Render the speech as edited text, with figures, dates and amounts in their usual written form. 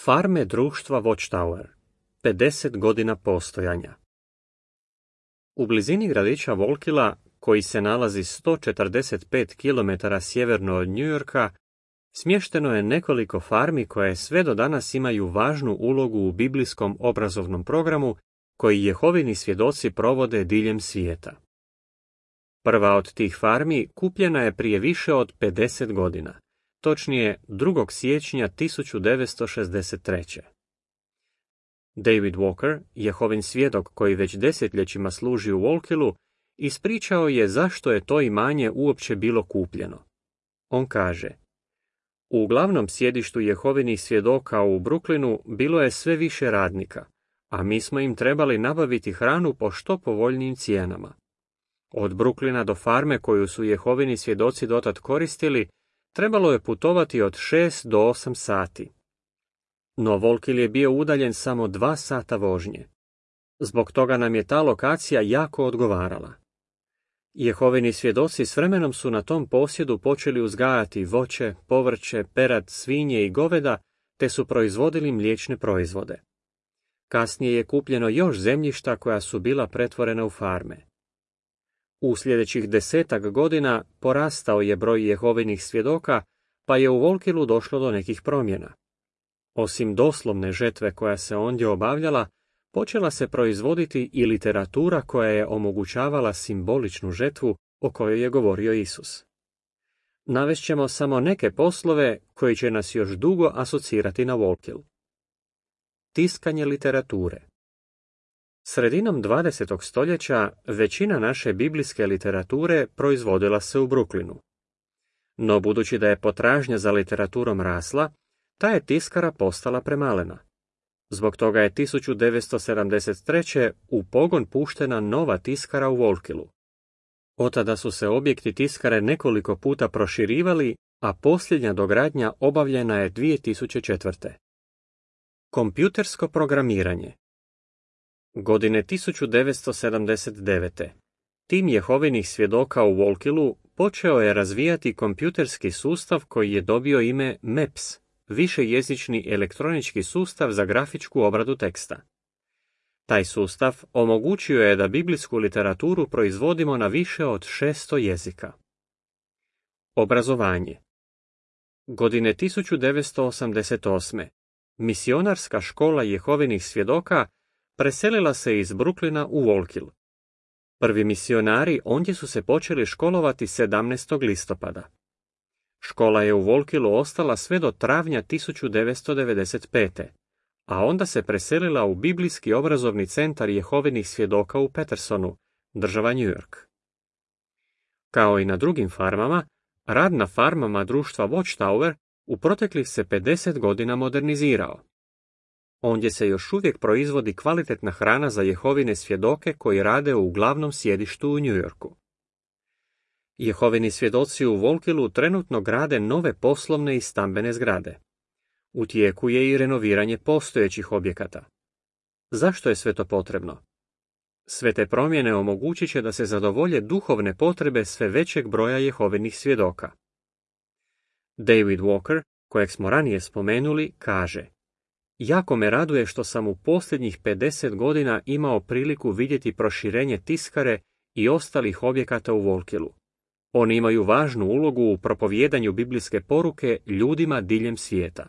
Farme društva Watchtower. 50 godina postojanja. U blizini gradića Volkila, koji se nalazi 145 km sjeverno od New Yorka, smješteno je nekoliko farmi koje sve do danas imaju važnu ulogu u biblijskom obrazovnom programu koji Jehovini svjedoci provode diljem svijeta. Prva od tih farmi kupljena je prije više od 50 godina, točnije 2. siječnja 1963. David Walker, Jehovin svjedok koji već desetljećima služi u Volkilu, ispričao je zašto je to imanje uopće bilo kupljeno. On kaže: u glavnom sjedištu Jehovinih svjedoka u Brooklynu bilo je sve više radnika, a mi smo im trebali nabaviti hranu po što povoljnijim cijenama. Od Brooklyna do farme koju su Jehovini svjedoci dotad koristili, trebalo je putovati od 6 do 8 sati. No Volkil je bio udaljen samo 2 sata vožnje. Zbog toga nam je ta lokacija jako odgovarala. Jehovini svjedoci s vremenom su na tom posjedu počeli uzgajati voće, povrće, perad, svinje i goveda, te su proizvodili mliječne proizvode. Kasnije je kupljeno još zemljišta koja su bila pretvorena u farme. U sljedećih 10 godina porastao je broj Jehovinih svjedoka, pa je u Volkilu došlo do nekih promjena. Osim doslovne žetve koja se ondje obavljala, počela se proizvoditi i literatura koja je omogućavala simboličnu žetvu o kojoj je govorio Isus. Navešćemo samo neke poslove koji će nas još dugo asocirati na Volkil. Tiskanje literature. Sredinom 20. stoljeća većina naše biblijske literature proizvodila se u Brooklynu. No budući da je potražnja za literaturom rasla, ta je tiskara postala premalena. Zbog toga je 1973. u pogon puštena nova tiskara u Volkilu. Od tada su se objekti tiskare nekoliko puta proširivali, a posljednja dogradnja obavljena je 2004. Kompjutersko programiranje. Godine 1979. tim Jehovinih svjedoka u Volkilu počeo je razvijati kompjuterski sustav koji je dobio ime MEPS, višejezični elektronički sustav za grafičku obradu teksta. Taj sustav omogućio je da biblijsku literaturu proizvodimo na više od 600 jezika. Obrazovanje. Godine 1988. misionarska škola Jehovinih svjedoka preselila se iz Brooklyna u Volkil. Prvi misionari ondje su se počeli školovati 17. listopada. Škola je u Volkilu ostala sve do travnja 1995. a onda se preselila u Biblijski obrazovni centar Jehovinih svjedoka u Petersonu, država New York. Kao i na drugim farmama, rad na farmama društva Watchtower u proteklih se 50 godina modernizirao. Ondje se još uvijek proizvodi kvalitetna hrana za Jehovine svjedoke koji rade u glavnom sjedištu u New Yorku. Jehovini svjedoci u Volkilu trenutno grade nove poslovne i stambene zgrade. U tijeku je i renoviranje postojećih objekata. Zašto je sve to potrebno? Sve te promjene omogućit će da se zadovolje duhovne potrebe sve većeg broja Jehovinih svjedoka. David Walker, kojeg smo ranije spomenuli, kaže: jako me raduje što sam u posljednjih 50 godina imao priliku vidjeti proširenje tiskare i ostalih objekata u Volkilu. Oni imaju važnu ulogu u propovijedanju biblijske poruke ljudima diljem svijeta.